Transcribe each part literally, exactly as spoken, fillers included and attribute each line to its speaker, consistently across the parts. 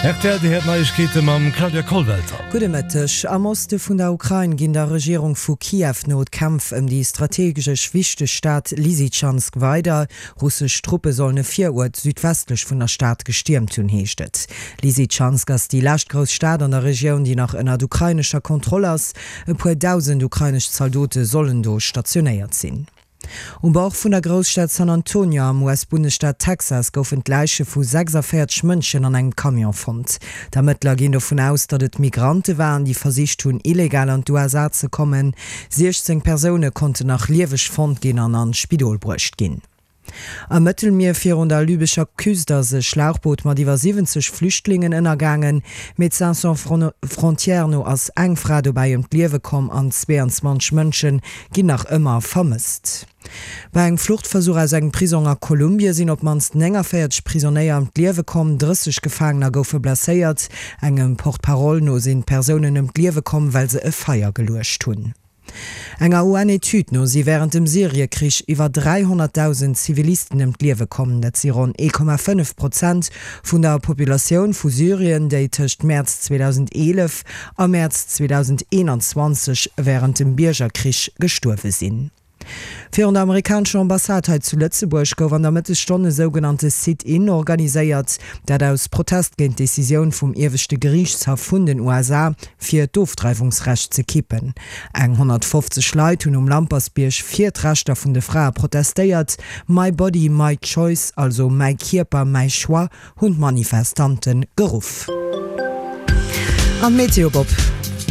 Speaker 1: R T L, Dir héiert d'Neiegkeete mam Claudia Kollwelter.
Speaker 2: Gudde Mëtteg. Am Oste vun der Ukrain ginn der Regierung vu Kiew no d'Kämpf ëm déi strategesch wichteg Stad Lysychansk weider. Russesch Truppe sollen e Viruert südwestlech vun der Stad gestiermt hunn, heescht et. Lysychansk ass déi lescht grouss Stad an der Regioun, déi nach ënnert ukrainescher Kontroll ass. E puer dausend ukrainesch Zaldote sollen do stationéiert sinn. Um Bord vun der Grousstad San Antonio am U S-Bundesstaat Texas goufen d'Läiche vu sechsundvéierzeg Mënschen an engem Camion fonnt. D'Ermëttler ginn dovun aus, datt et Migrante waren, déi versicht hunn, illegal an d'U S A ze kommen. siechzéng Persoune konnten nach lieweg fonnt ginn an an d'Spidol bruecht ginn. Am Mëttelmier virun der libyscher Küst ass e Schlauchboot mat iwwer siwwenzeg Flüchtlingen ënnergaangen. Médecins sans frontières no ass eng Fra dobäi ëm d'Liewe komm an zweeanzwanzeg Mënsche ginn nach ëmmer vermësst. Bei engem Fluchtversuch aus engem Prisong a Kolumbie sinn op d'mannst nénganvéierzeg Prisonéier ëm d'Liewe komm, drësseg Gefaangener goufe blesséiert. Engem Porte-parole no sinn d'Persounen ëm d'Liewe komm, well se e Feier geluecht hunn. Enger U N-Etüd no si wärend dem Syriekrich iwwer dräihonnertdausend Zivilisten ëm d'Liewe komm. Dat si ronn ee Komma fënnef Prozent vun der Populatioun vu Syrien, déi tëscht Mäerz zweedausendeelef a Mäerz zweedausendeenanzwanzeg wärend dem Biergerkrich gestuerwe sinn. Virun der amerikanescher Ambassade hei zu Lëtzebuerg gouf an der Mëttesstonn e sougenannte Sit-in organiséiert, dat aus Protest géint d'Decisioun vum ieweschte Geriichtshaff vun den U S A, fir d'Ofdreiwungsrecht ze kippen. Eng honnertfofzeg Leit hunn um Lampertsbierg fir d'Rechter vun de Frae protestéiert. My body, my choice, also mäi Kierper, mäi Choix, hunn d'Manifestante geruff. An d'Meteo, Bob.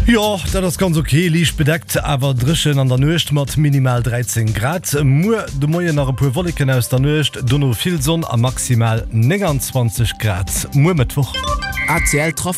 Speaker 1: Jo, dat ass ganz ok, liicht bedeckt, awer dréchen an der Nuecht mat minimal dräizéng Grad. Muer de Moien nach e puer Wolleken aus der Nuecht, dono vill Sonn a maximal nénganzwanzeg Grad muer Mëttwoch.
Speaker 3: A C L Trafic.